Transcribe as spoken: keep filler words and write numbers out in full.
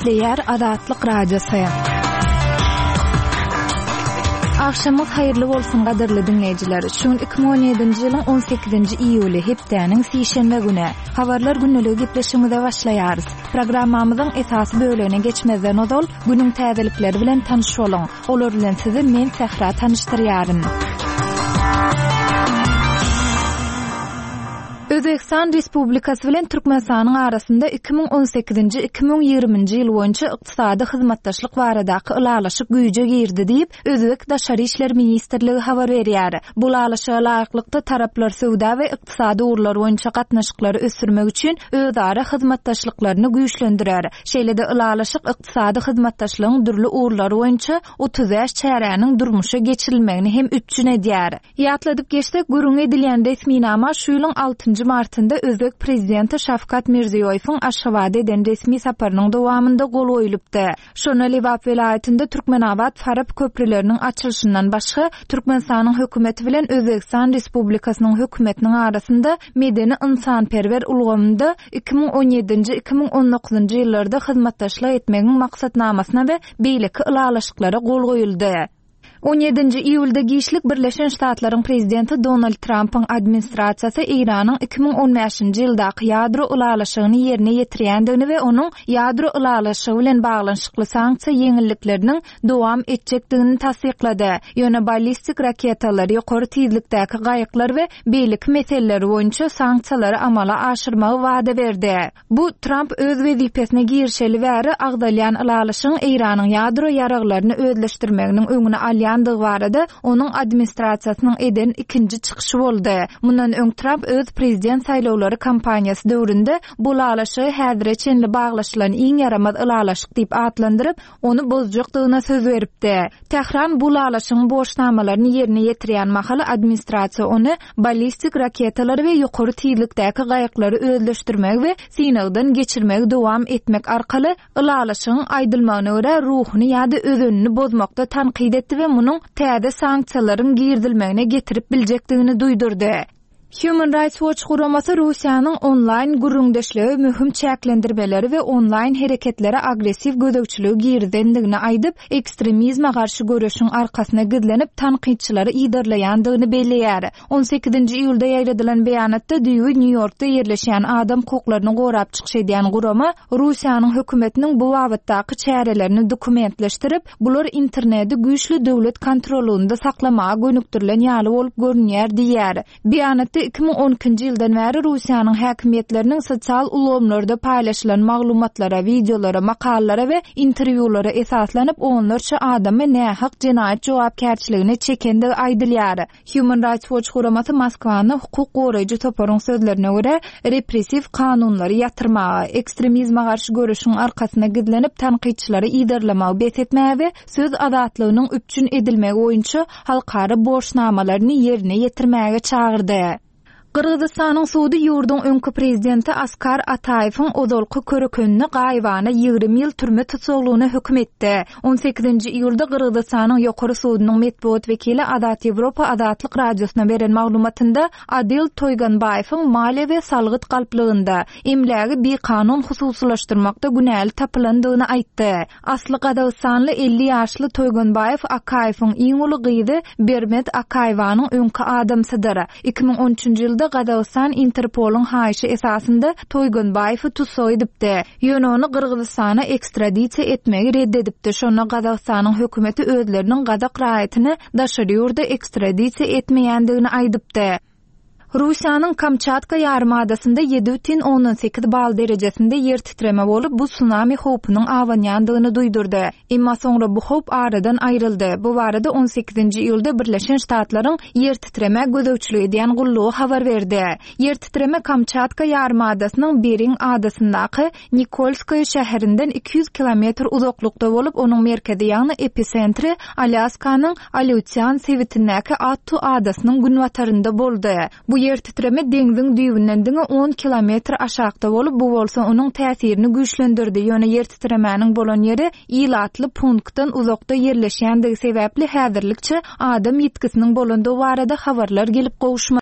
Gepleýär Azatlyk Radiosy. Agşamyňyz haýyrly bolsun gadyrly diňleýjiler. Şu gün iki müň on ýedinji ýylyň on sekizinji iýuly hepdäniň sişenbe güni. Habarlar gündeligi gepleşigimize başlaýarys. Programmamyzyň esasy bölegine geçmezden ozal günüň täzelikleri bilen tanyş boluň. Olar bilen sizi men Sähra tanyşdyrýaryn. Özbegistan Respublikasy bilen Türkmenistanyň arasynda iki müň on sekizinji iki müň ýigriminji ýyl boýunça ykdysady hyzmatdaşlyk baradaky ylalaşyk güýje girdi diýip, Özbek Daşary işler ministrligi habar berýär. Bu ylalaşyga laýyklykda taraplar söwda we ykdysady ugurlar boýunça gatnaşyklary ösdürmek üçin özara hyzmatdaşlyklaryny güýçlendirer. Şeýle-de ylalaşyk ykdysady hyzmatdaşlygyň dürli ugurlary boýunça otuz bäş çäräniň durmuşa geçirilmegini hem üpjün edýär. Ýatladyp geçsek, gürrüň edilýän resminama şu ýylyň altynjy martynda Özbek prezidenti Şawkat Mirziýoýewiň Aşgabada eden resmi saparynyň dowamynda gol goýlupdy. Şonda Lebap welaýatynda Türkmenabat Farap köprüleriniň açylyşyndan başga Türkmenistanyň hökümeti bilen Özbegistan Respublikasynyň hökümetiniň arasynda medeni ynsanperwer ulgamynda iki müň on ýedinji iki müň on dokuzynjy ýyllarda hyzmatdaşlyk etmegiň maksatnamasyna we beýleki ylalaşyklara gol goýuldy. On ýedinji iýulda giçlik Birleşen Ştatlaryň prezidenti Donald Trumpyň administrasiýasy Eýranyň iki müň on bäşinji ýyldaky ýadro ylalaşygyny ýerine ýetirýändigini we onuň ýadro ylalaşygy bilen baglanyşykly sanksiýa ýeňillikleriniň dowam etjekdigini tassyklady. Ýöne ballistik raketalar, ýokary tizlikdäki gaýyklar we beýleki meseleler boýunça sanksiýalary amala aşyrmagy wada berdi. Bu Trump öz wezipesine girişeli bäri agzalýan ylalaşygyň Eýranyň ýadro ýaraglaryny özleşdirmeginiň öňüni alýandygy barada onuň administrasiýasynyň eden ikinji çykyşy boldy. Mundan öň Trump öz prezident saýlawlary kampaniýasy döwründe bu ylalaşygy häzire çenli baglaşylan iň ýaramaz ylalaşyk diýip atlandyryp, ony bozjakdygyna söz beripdi. Tähran bu ylalaşygyň borçnamalaryny ýerine ýetirýän mahaly administrasiýa ony ballistik raketalary we ýokary tizlikdäki gaýyklary özleşdirmegi we synagdan geçirmegi dowam etmek arkaly ylalaşygyň aýdylmagyna görä ruhuny ýa-da özenini bozmakda tankyt etdi we munuň täze sanksiýalaryň girizilmegine getirip biljekdigini duýdurdy. Human Rights Watch guramasy Russiýanyň onlaýn gürrüňdeşligi möhüm çäklendirmeleri we onlaýn hereketlere agressiw gözegçiligi girizendigini aýdyp, ekstremizme garşy göreşiň arkasyna gizlenip tankytçylary ýydarlaýandygyny belleýär. on sekizinji iýulda ýaýradylan beýanatda düýbi Nýu-Ýorkda ýerleşýän adam hukuklaryny gorap çykyş edýän gurama Russiýanyň hökümetiniň bu babatdaky çärelerini dokumentleşdirip, bular interneti güýçli döwlet kontrolunda saklamaga gönükdirilen ýaly bolup görünýär diýär. Beýanatda iki müň on ikinji ýyldan bäri Russiýanyň häkimiýetleriniň sosial ulgamlarda paýlaşylan maglumatlara, wideolara, makalalara we interwýulara esaslanyp onlarça adamy nähak jenaýat jogapkärçiligine çekendigi aýdylýar. Human Rights Watch guramasy Moskwany hukuk goraýjy toparyň sözlerine görä repressiw kanunlary ýatyrmaga, ekstremizme garşy göreşiň arkasyna gizlenip tankytçylary ýydarlamagy bes etmäge we söz azatlygynyň üpjün edilmegi boýunça halkara borçnamalaryny ýerine ýetirmäge çagyrdy. Gyrgyzystanyň sudy ýurduň öňki prezidenti Askar Ataýewiň ozalky körekenini gaýybana ýigrimi ýyl türme tutsaglygyna höküm etdi. on sekizinji iýulda Gyrgyzystanyň ýokary sudunyň metbugat wekili Azat Ýewropa Azatlyk radiosyna beren maglumatynda Adil Toýganbaýewiň maliýe we salgyt galplygynda emlägi bikanun hususylaşdyrmakda günäli tapylandygyny aýtdy. Asly Gazagystanly elli ýaşly Toýganbaýew Akaýewiň iň uly gyzy Bermet Akaýewanyň öňki adamsydyr. iki müň on üçünji ýylda Gazagystan Interpolyň haýyşy esasynda Toýganbaýewi tussag edipdi. Ýöne ony Gyrgyzystana ekstradisiýa etmegi red edipdi. Şonda Gazagystanyň hökümeti özleriniň gazak raýatyny daşary ýurda ekstradisiýa etmeýändigini aýdypdy. Russiýanyň Kamçatka ýarymadasynda ýedi bütin ondan sekiz bal derejesinde ýer titreme bolup, bu tsunami howpunyň abanýandygyny duýdurdy. Emma soňra bu howp aradan aýryldy. Bu barada on sekizinji iýulda Birleşen Ştatlaryň ýer titreme gözegçilik edýän gullugy habar berdi. Ýer titreme Kamçatka ýarymadasynyň Bering adasyndaky Nikolskoye şäherinden iki ýüz kilometr uzaklykda bolup, onuň merkezi ýagny episentri Alýaskanyň Aleutian sebitindäki Attu adasynyň günbatarynda boldy. Bu ýer titreme deňziň düýbünden diňe on kilometr aşakda bolup, bu bolsa onuň täsirini güýçlendirdi. Ýöne ýer titremäniň bolan ýeri ilatly punktdan uzakda ýerleşýändigi sebäpli häzirlikçe adam ýitgisiniň bolandygy barada habarlar gelip gowuşmady.